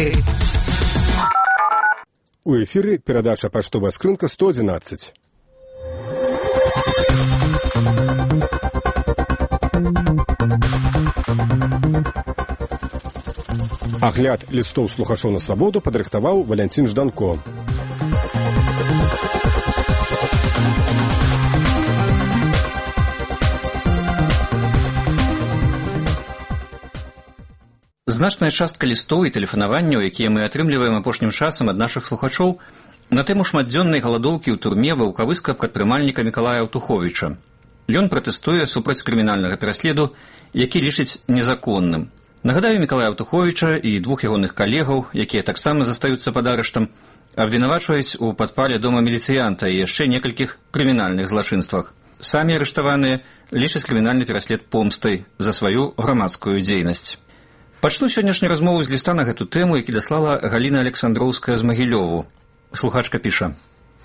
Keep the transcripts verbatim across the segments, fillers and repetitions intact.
эфіры. У эфіры перадача «Паштовая скрынка» сто одиннадцать. Агляд лістоў слухачоў на свабоду падрыхтаваў Валянцін Жданко. Значная частка лістоў і тэлефанаванняў, якія мы атрымліваем апошнім часам ад нашых слухачоў, на тэму шматдзённай галадоўкі ў турме ваўкавыска прадпрымальніка Мікалая Аўтуховіча. Ён пратэстуе супраць крымінальнага пераследу, які лічыць незаконным. Нагадаю, Мікалая Аўтуховіча і двух ягоных калегаў, якія таксама застаюцца пад арыштам, абвінавачваюць у падпале дома міліцыянта і яшчэ некалькіх крымінальных злачынствах. Самі арыштаваныя лічаць крымінальны пераслед помстай за сваю грамадскую дзейнасць. Пачну сённяшнюю размову з ліста на гэту тэму, які даслала Галіна Александроўская з Магілёву. Слухачка піша: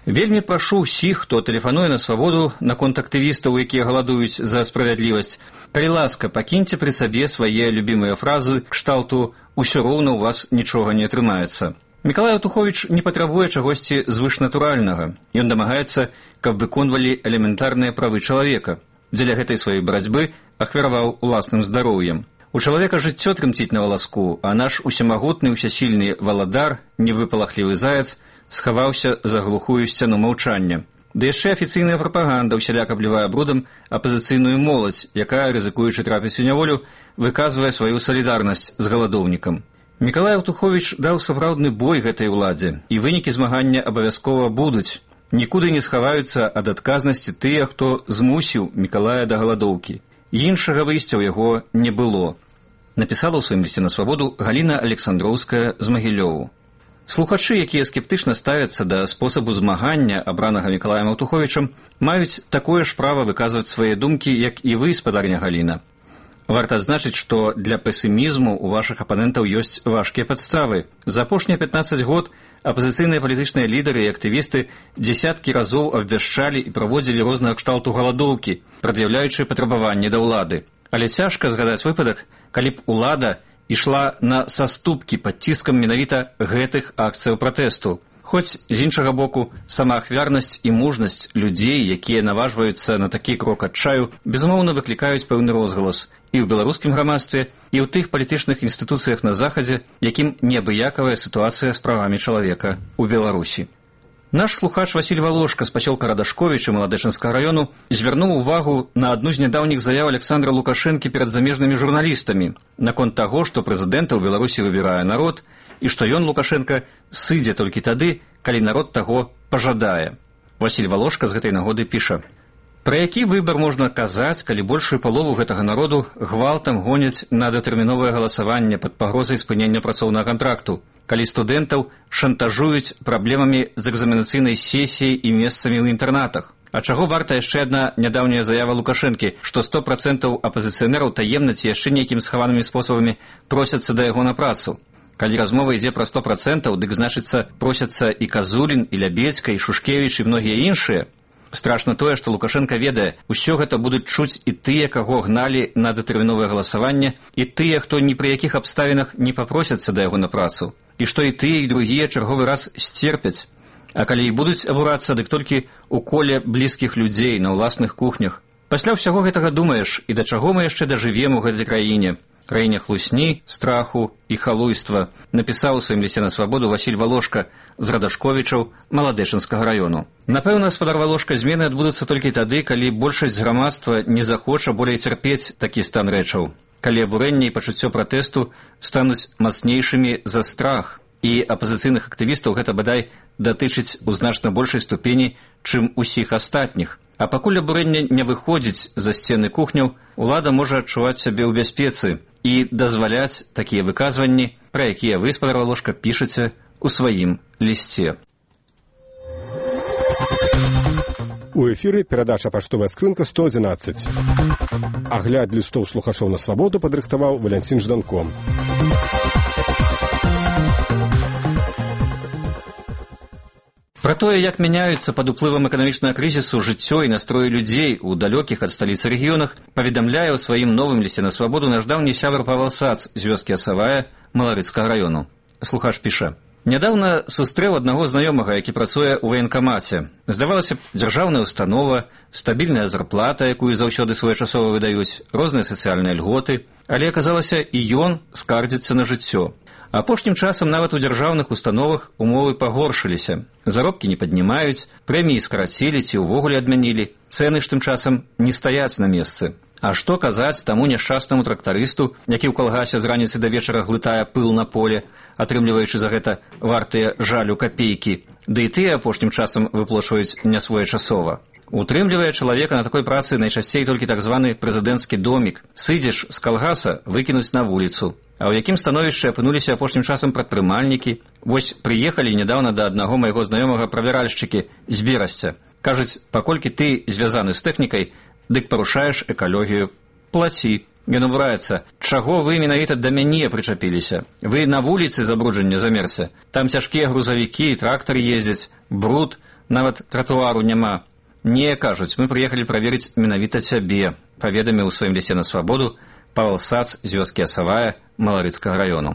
«Вельмі прашу ўсіх, хто тэлефануе на свабоду наконт актывістаў, якія галадуюць за справядлівасць, калі ласка, пакіньце пры сабе свае любімыя фразы кшталту «усё роўна ў вас нічога не атрымаецца». Мікалай Аўтуховіч не патрабуе чагосьці звышнатуральнага. Ён дамагаецца, каб выконвалі элементарныя правы чалавека. Дзеля гэтай сваёй барацьбы ахвяраваў уласным здароўем. У чалавека жыццё трымціць на валаску, а наш усемагутны ўсясільны валадар, невыпалахлівы заяц, схаваўся за глухую сцяну маўчання. Ды яшчэ афіцыйная прапаганда ўсяляк аблівае брудам апазіцыйную моладзь, якая, рызыкуючы трапіць у няволю, выказвае сваю салідарнасць з галадоўнікам. Мікалай Аўтуховіч даў сапраўдны бой гэтай уладзе, і вынікі змагання абавязкова будуць. Нікуды не схаваюцца ад адказнасці тыя, хто змусіў Мікалая да галадоўкі. Іншага выйсця ў яго не было. Напісала ў сваім лісце на свабоду Галіна Александроўская з Магілёву. Слухачы, якія скептычна ставяцца да спосабу змагання, абранага Мікалаем Аўтуховічам, маюць такое ж права выказваць свае думкі, як і вы, спадарня Галіна. Варта адзначыць, што для песімізму у вашых апанентаў ёсць важкія падставы. За апошнія пятнаццаць год апазіцыйныя палітычныя лідары і актывісты дзесяткі разоў абвяшчалі і праводзілі рознага кшталту галадоўкі, прад'яўляючы патрабаванні да ўлады. Але цяжка згадаць выпадак, калі б улада ішла на саступкі пад ціскам менавіта гэтых акцыяў пратэсту. Хоць, з іншага боку, самаахвярнасць і мужнасць людзей, якія наважваюцца на такі крок адчаю, безумоўна выклікаюць пэўны розгалас і ў беларускім грамадстве, і ў тых палітычных інстытуцыях на Захадзе, якім неабыякавая сітуацыя з правамі чалавека ў Беларусі. Наш слухач Васіль Валошка з пасёлка Радашковіча Маладэчынскага раёну звярнуў увагу на адну з нядаўніх заяў Александра Лукашэнкі перад замежнымі журналістамі наконт таго, што прэзідэнта ў Беларусі выбірае народ і што ён, Лукашенка, сыдзе толькі тады, калі народ таго пажадае. Васіль Валошка з гэтай нагоды піша: «Пра які выбар можна казаць, калі большую палову гэтага народу гвалтам гоняць на датэрміновае галасаванне пад пагрозай спынення працоўнага кантракту, калі студэнтаў шантажуюць праблемамі з экзаменацыйнай сесіяй і месцамі ў інтэрнатах? А чаго варта яшчэ адна нядаўняя заява Лукашэнкі, што сто працэнтаў апазіцыянераў таемна ці яшчэ нейкімі схаванымі спосабамі просяцца да яго на працу? Калі размова ідзе пра сто працэнтаў, дык, значыцца, просяцца і Казулін, і Лябедзька, і Шушкевіч, і многія іншыя. Страшна тое, што Лукашенка ведае, усё гэта будуць чуць і тыя, каго гналі на датэрміновае галасаванне, і тыя, хто ні пры якіх абставінах не папросяцца да яго на працу, і што і тыя, і другія чарговы раз сцерпяць. А калі і будуць абурацца, дык толькі ў коле блізкіх людзей на ўласных кухнях. Пасля ўсяго гэтага думаеш, і да чаго мы яшчэ дажывем у гэтай краіне? Краіне хлусні, страху і халуйства, напісаў у сваім лісце на свабоду Васіль Валошка з Радашковічаў Маладэчынскага раёну. Напэўна, спадар Валошка, змены адбудуцца толькі тады, калі большасць грамадства не захоча болей цярпець такі стан рэчаў, калі абурэнне і пачуццё пратэсту стануць мацнейшымі за страх, і апазіцыйных актывістаў гэта бадай датычыць у значна большай ступені, чым усіх астатніх. А пакуль абурэнне не выходзіць за сцены кухняў, улада можа адчуваць сябе ў бяспецы і дазваляць такія выказванні, пра якія вы, спадар Валошка, пішаце у сваім лісце. У эфіры перадача «Паштовая скрынка» сто одиннадцать. Агляд лістоў слухачоў на свабоду падрыхтаваў Валянцін Жданко. Пра тое, як мяняюцца пад уплывам эканамічнага крызісу жыццё і настроі людзей у далёкіх ад сталіцы рэгіёнах, паведамляе ў сваім новым лісце на свабоду наш даўні сябар Павел Сац з вёскі Асавая Маларыцкага раёну. Слухач піша: «Нядаўна сустрэў аднаго знаёмага, які працуе ў ваенкамаце. Здавалася б, дзяржаўная установа, стабільная зарплата, якую заўсёды своечасова выдаюць, розныя сацыяльныя льготы, але аказалася, і ён скардзіцца на жыццё. Апошнім часам нават у дзяржаўных установах умовы пагоршыліся. Заробкі не паднімаюць, прэміі скарацілі ці ўвогуле адмянілі, цэны ж тым часам не стаяць на месцы. А што казаць таму няшчаснаму трактарысту, які ў калгасе з раніцы да вечара глытае пыл на поле, атрымліваючы за гэта вартыя жалю капейкі, ды і тыя апошнім часам выплочваюць нясвоечасова. Утрымлівае чалавека на такой працы найчасцей толькі так званы прэзідэнцкі домік. Сыдзеш з калгаса, выкінуць на вуліцу. А ў якім становішчы апынуліся апошнім часам прадпрымальнікі? Вось прыехалі нядаўна да аднаго майго знаёмага правяральшчыкі з Берасця. Кажуць, паколькі ты звязаны з тэхнікай, дык парушаеш экалогію. Плаці. Ён абураецца. Чаго вы менавіта да мяне прычапіліся? Вы на вуліцы забруджання замерся. Там цяжкія грузавікі, трактары ездзяць, бруд, нават тратуару няма. Не, кажуць, мы прыехалі праверыць менавіта цябе, паведаміў у сваім лісце на свабоду Павел Сац з вёскі Асавая Маларыцкага раёну.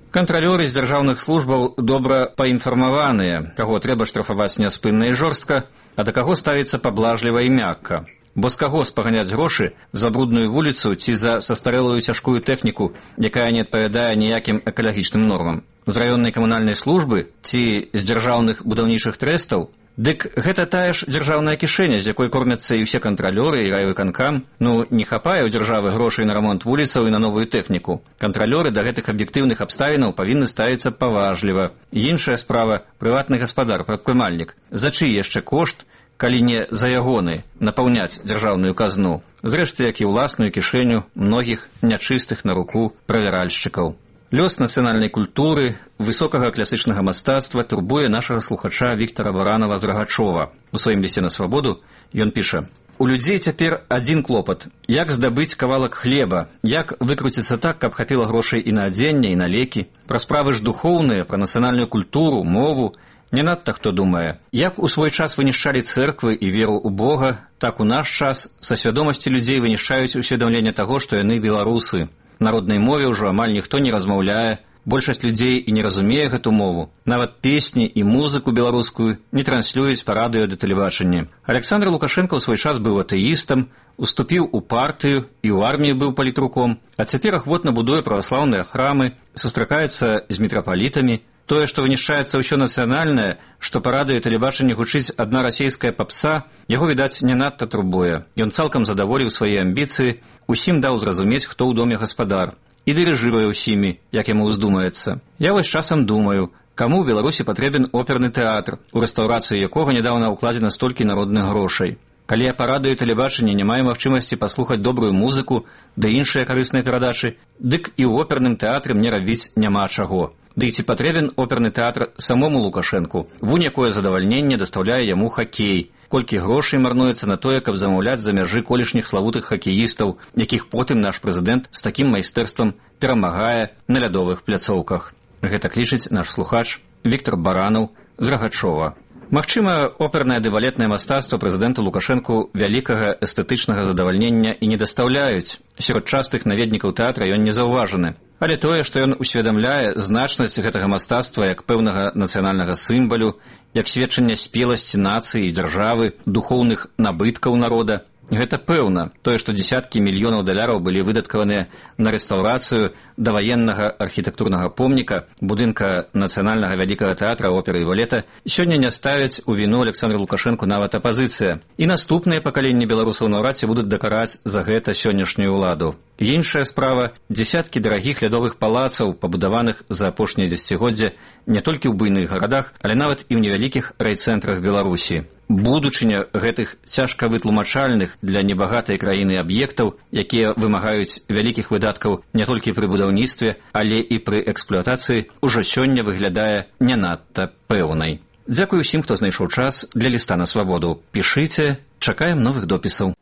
Кантралёры з дзяржаўных службаў добра паінфармаваныя, каго трэба штрафаваць няспынна і жорстка, а да каго ставіцца паблажліва і мякка. Бо з каго спаганяць грошы за брудную вуліцу ці за састарэлую цяжкую тэхніку, якая не адпавядае ніякім экалагічным нормам? З раённай камунальнай службы ці з дзяржаўных будаўнічых трэстаў? Дык гэта тая ж дзяржаўная кішэня, з якой кормяцца і ўсе кантралёры і райвыканкам. Ну, не хапае ў дзяржавы грошай на рамонт вуліцаў і на новую тэхніку. Кантралёры да гэтых аб'ектыўных абставінаў павінны ставіцца паважліва. Іншая справа – прыватны гаспадар, прадпрымальнік. За чый яшчэ кошт, калі не за ягоны, напаўняць дзяржаўную казну? Зрэшты, як і ўласную кішэню многіх нячыстых на руку правяральшчыкаў. Лёс нацыянальнай культуры, высокага класычнага мастацтва турбуе нашага слухача Віктара Баранова з Рагачова. У сваім лісце на свабоду ён піша: «У людзей цяпер адзін клопат. Як здабыць кавалак хлеба? Як выкруціцца так, каб хапіла грошай і на адзенне, і на лекі? Пра справы ж духоўныя, пра нацыянальную культуру, мову не надта хто думае. Як у свой час вынішчалі цэрквы і веру ў Бога, так у наш час са свядомасці людзей вынішчаюць усведамленне таго, што яны беларусы. Народнай мове ўжо амаль ніхто не размаўляе, большасць людзей і не разумее гэту мову. Нават песні і музыку беларускую не транслююць па радыё ды тэлебачанні. Александр Лукашенко ў свой час быў атэістам, уступіў у партыю і ў арміі быў палітруком, а цяпер ахвотна будуе праваслаўныя храмы, сустракаецца з мітрапалітамі. Тое, што вынішчаецца ўсё нацыянальнае, што па радыё і тэлебачанні гучыць адна расейская папса, яго, відаць, не надта турбуе. Ён цалкам задаволіў свае амбіцыі, усім даў зразумець, хто ў доме гаспадар, і дырыжыруе ўсімі, як яму ўздумаецца. Я вось часам думаю, каму ў Беларусі патрэбен оперны тэатр, у рэстаўрацыю якога нядаўна ўкладзена столькі народных грошай. Калі я па радыё і тэлебачанні не маю магчымасці паслухаць добрую музыку ды іншыя карысныя перадачы, дык і ў оперным тэатры мне рабіць няма чаго. Ды ці патрэбен оперны тэатр самому Лукашэнку? Вунь якое задавальненне дастаўляе яму хакей. Колькі грошай марнуецца на тое, каб замаўляць за мяжы колішніх славутых хакеістаў, якіх потым наш прэзідэнт з такім майстэрствам перамагае на лядовых пляцоўках. Гэта клічыць наш слухач Віктар Баранаў з Рагачова. Магчыма, опернае ды балетнае мастацтва прэзідэнту Лукашэнку вялікага эстэтычнага задавальнення і не дастаўляюць. Сярод частых наведнікаў тэатра ён не заўважаны. Але тое, што ён усведамляе значнасць гэтага мастацтва як пэўнага нацыянальнага сімвалю, як сведчанне спеласці нацыі і дзяржавы, духоўных набыткаў народа, гэта пэўна. Тое, што дзесяткі мільёнаў даляраў былі выдаткаваныя на рэстаўрацыю даваеннага архітэктурнага помніка, будынка нацыянальнага вялікага тэатра, оперы і балета, сёння не ставяць у віну Александру Лукашэнку нават апазіцыя. І наступныя пакаленні беларусаў наўрад ці будуць дакараць за гэта сённяшнюю ўладу. Іншая справа – дзесяткі дарагіх лядовых палацаў, пабудаваных за апошнія дзесяцігоддзя не толькі ў буйных гарадах, але нават і ў невялікіх райцэнтрах Беларусі. Будучыня гэтых цяжка вытлумачальных для небагатай краіны аб'ектаў, якія вымагаюць вялікіх выдаткаў не толькі пры будаўніцтве, але і пры эксплуатацыі, ужо сёння выглядае не надта пэўнай. Дзякуй усім, хто знайшоў час для ліста на свабоду. Пішыце, чакаем новых допісаў.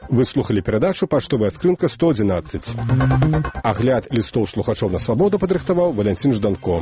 Вы слухали перадачу «Паштовая скрынка сто адзінаццаць». Агляд лістоў слухачоў на свабоду падрыхтаваў Валянцін Жданко.